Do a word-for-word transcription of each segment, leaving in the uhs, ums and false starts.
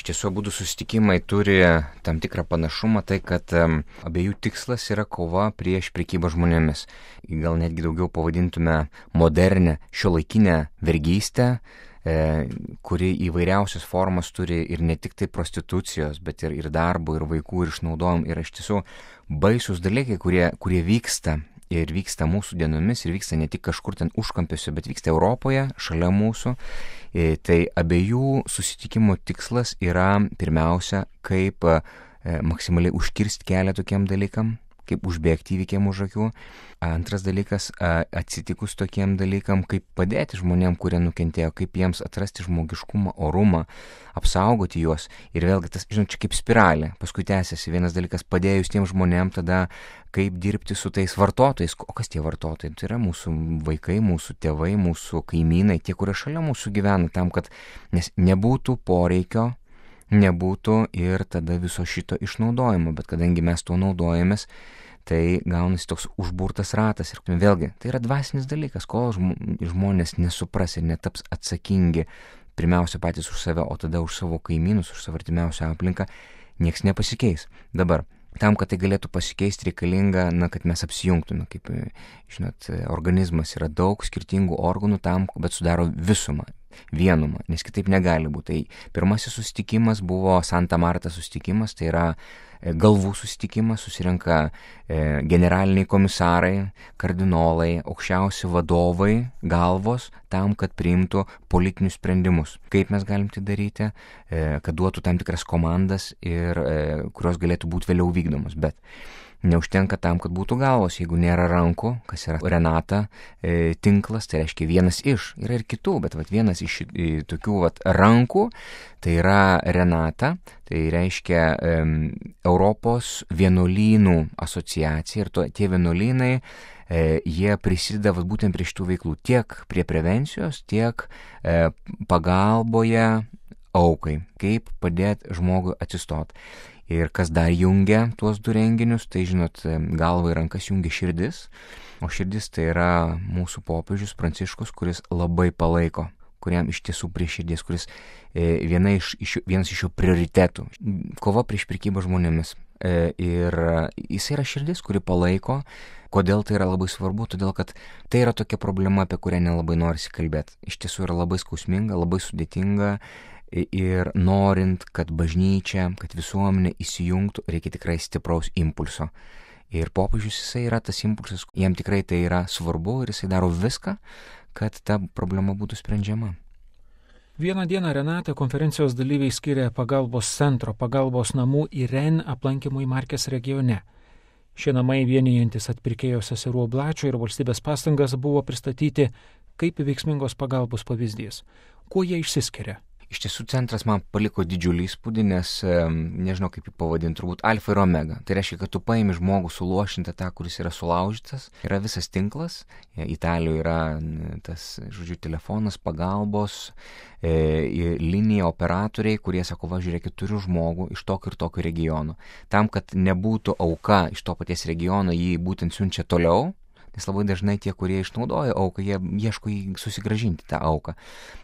tiesų abudu susitikimai turi tam tikrą panašumą, tai kad um, abiejų tikslas yra kova prieš prekybą žmonėmis. Gal netgi daugiau pavadintume modernę šiuolaikinę vergystę, e, kuri įvairiausias formas turi ir ne tik tai prostitucijos, bet ir, ir darbo, ir vaikų, ir išnaudojimų. Ir iš tiesų baisus dalykai, kurie, kurie vyksta. Ir vyksta mūsų dienomis, ir vyksta ne tik kažkur ten užkampiuose, bet vyksta Europoje, šalia mūsų. E, tai abiejų susitikimo tikslas yra pirmiausia, kaip e, maksimaliai užkirsti kelią tokiem dalykam, kaip užbėgti įvykiam už akių. Antras dalykas, atsitikus tokiem dalykam, kaip padėti žmonėm, kurie nukentėjo, kaip jiems atrasti žmogiškumą, orumą, apsaugoti juos. Ir vėlgi tas, žinot, čia kaip spiralė, paskui tęsiasi. Vienas dalykas, padėjus tiem žmonėm, tada kaip dirbti su tais vartotojais. O kas tie vartotojai? Tai yra mūsų vaikai, mūsų tėvai, mūsų kaimynai, tie, kurie šalia mūsų gyvena, tam, kad nes nebūtų poreikio, nebūtų ir tada viso šito išnaudojimo. Bet kadangi mes tuo naudojamės, tai gaunasi toks užburtas ratas. Ir vėlgi, tai yra dvasinis dalykas, kol žmonės nesupras ir netaps atsakingi pirmiausia patys už save, o tada už savo kaimynus, už savo artimiausią aplinką, nieks nepasikeis. Dabar, tam, kad tai galėtų pasikeisti, reikalinga, na, kad mes apsijungtume. Kaip, žinot, organizmas yra daug skirtingų organų tam, bet sudaro visumą, vienumą, nes kitaip negali būti. Tai pirmasis susitikimas buvo Santa Marta susitikimas, tai yra galvų susitikimas, susirenka e, generaliniai komisarai, kardinolai, aukščiausi vadovai, galvos, tam, kad priimtų politinius sprendimus. Kaip mes galim tai daryti, e, kad duotų tam tikras komandas, ir, e, kurios galėtų būti vėliau vykdomos. Bet neužtenka tam, kad būtų galvos, jeigu nėra rankų, kas yra Renata e, tinklas, tai reiškia vienas iš, yra ir kitų, bet vat, vienas iš e, tokių vat, rankų, tai yra Renata, tai reiškia e, Europos vienuolynų asociacija, ir to, tie vienuolynai, e, jie prisideda vat, būtent prie šitų veiklų, tiek prie prevencijos, tiek e, pagalboje aukai, kaip padėti žmogui atsistoti. Ir kas dar jungia tuos du renginius, tai žinot, galva ir rankas jungia širdis, o širdis tai yra mūsų popiežius Pranciškus, kuris labai palaiko, kuriam iš tiesų prie širdies, kuris e, viena iš, iš, vienas iš jo prioritetų - kova prieš prekybą žmonėmis. E, ir jis yra širdis, kuri palaiko. Kodėl tai yra labai svarbu? Todėl, kad tai yra tokia problema, apie kurią nelabai norisi kalbėti. Iš tiesų yra labai skausminga, labai sudėtinga. Ir norint, kad bažnyčia, kad visuomenė įsijungtų, reikia tikrai stipraus impulso. Ir popiežius jisai yra tas impulsas, jam tikrai tai yra svarbu ir jisai daro viską, kad ta problema būtų sprendžiama. Vieną dieną Renata konferencijos dalyviai skiria pagalbos centro, pagalbos namų Iren aplankymui Markės regione. Šie namai vienijantis atpirkėjo seserų Oblačio ir valstybės pastangas buvo pristatyti kaip veiksmingos pagalbos pavyzdys. Kuo jie išsiskiria? Iš tiesų centras man paliko didžiulį įspūdį, nes nežinau kaip jį pavadinti, turbūt alfa ir omega. Tai reiškia, kad tu paimi žmogų suluošintą tą, kuris yra sulaužytas, yra visas tinklas, Italijoje yra tas, žodžiu, telefonas, pagalbos, e, linija, operatoriai, kurie sako, va, žiūrėkit, turiu žmogų iš tokio ir tokio regiono. Tam, kad nebūtų auka iš to paties regiono, jį būtent siunčia toliau. Nes labai dažnai tie, kurie išnaudoja auką, jie ieško susigrąžinti tą auką.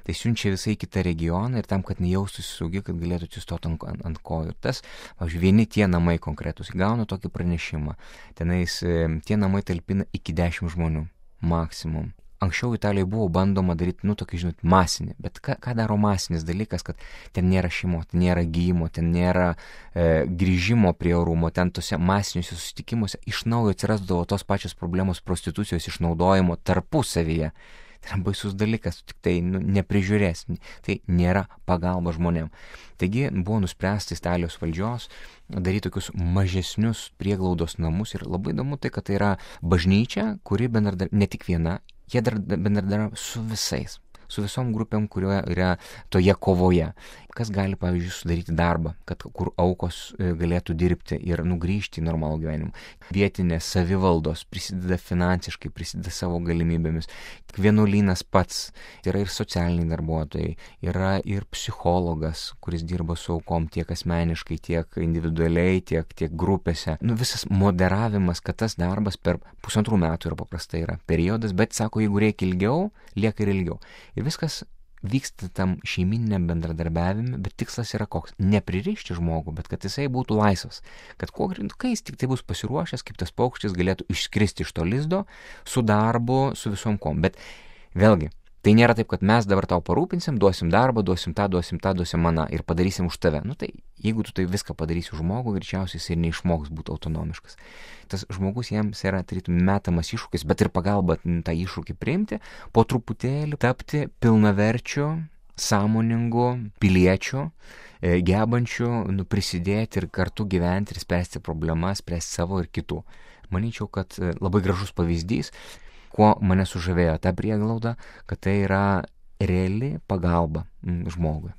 Tai siunčia visai kitą regioną ir tam, kad nejaustųsi saugi, kad galėtų atsistoti ant, ant, ant kojų. Ir tas, pavyzdžiui, vieni tie namai konkretus gauna tokį pranešimą. Tenais tie namai talpina iki dešimt žmonių maksimum. Anksčiau Italijoje buvo bandoma daryti, nu, tokį, žinot, masinį, bet ką, ką daro masinis dalykas, kad ten nėra šeimo, ten nėra gyjimo, ten nėra e, grįžimo prie orumo, ten tose masiniuose susitikimuose iš naujo atsirasdavo tos pačios problemos prostitucijos išnaudojimo tarpusavyje. Tai yra baisus dalykas, tik tai nu, neprižiūrės, tai nėra pagalba žmonėm. Taigi buvo nuspręsta Italijos valdžios daryti tokius mažesnius prieglaudos namus ir labai įdomu tai, kad tai yra bažnyčia, kuri bendradarbiauja ne tik viena, jie bendradarbiauja su visais, su visom grupėm, kurioje yra toje kovoje. Kas gali, pavyzdžiui, sudaryti darbą, kad kur aukos galėtų dirbti ir nugrįžti į normalų gyvenimą. Vietinės savivaldos prisideda finansiškai, prisideda savo galimybėmis. Vienuolynas pats, yra ir socialiniai darbuotojai, yra ir psichologas, kuris dirba su aukom tiek asmeniškai, tiek individualiai, tiek, tiek grupėse. Nu, visas moderavimas, kad tas darbas per pusantrų metų yra paprastai yra periodas, bet sako, jeigu reikia ilgiau, lieka ir ilgiau. Ir viskas vyksta tam šeimininiam bendradarbiavime, bet tikslas yra koks? Nepririšti žmogų, bet kad jisai būtų laisvas. Kad kuo greičiau, kai jis tik tai bus pasiruošęs, kaip tas paukštis galėtų išskristi iš to lizdo su darbu, su visom kom. Bet vėlgi, tai nėra taip, kad mes dabar tau parūpinsim, duosim darbą, duosim tą, duosim tą, duosim maną ir padarysim už tave. Nu tai, jeigu tu tai viską padarysi už žmogų, greičiausiai jis ir neišmoks būti autonomiškas. Tas žmogus jiems yra tarytum metamas iššūkis, bet ir pagalba tą iššūkį priimti, po truputėlį tapti pilnaverčiu, sąmoningu piliečiu, gebančiu nu, prisidėti ir kartu gyventi ir spręsti problemas, spręsti savo ir kitų. Manyčiau, kad labai gražus pavyzdys, kuo mane sužavėjo ta prieglauda, kad tai yra reali pagalba žmogui.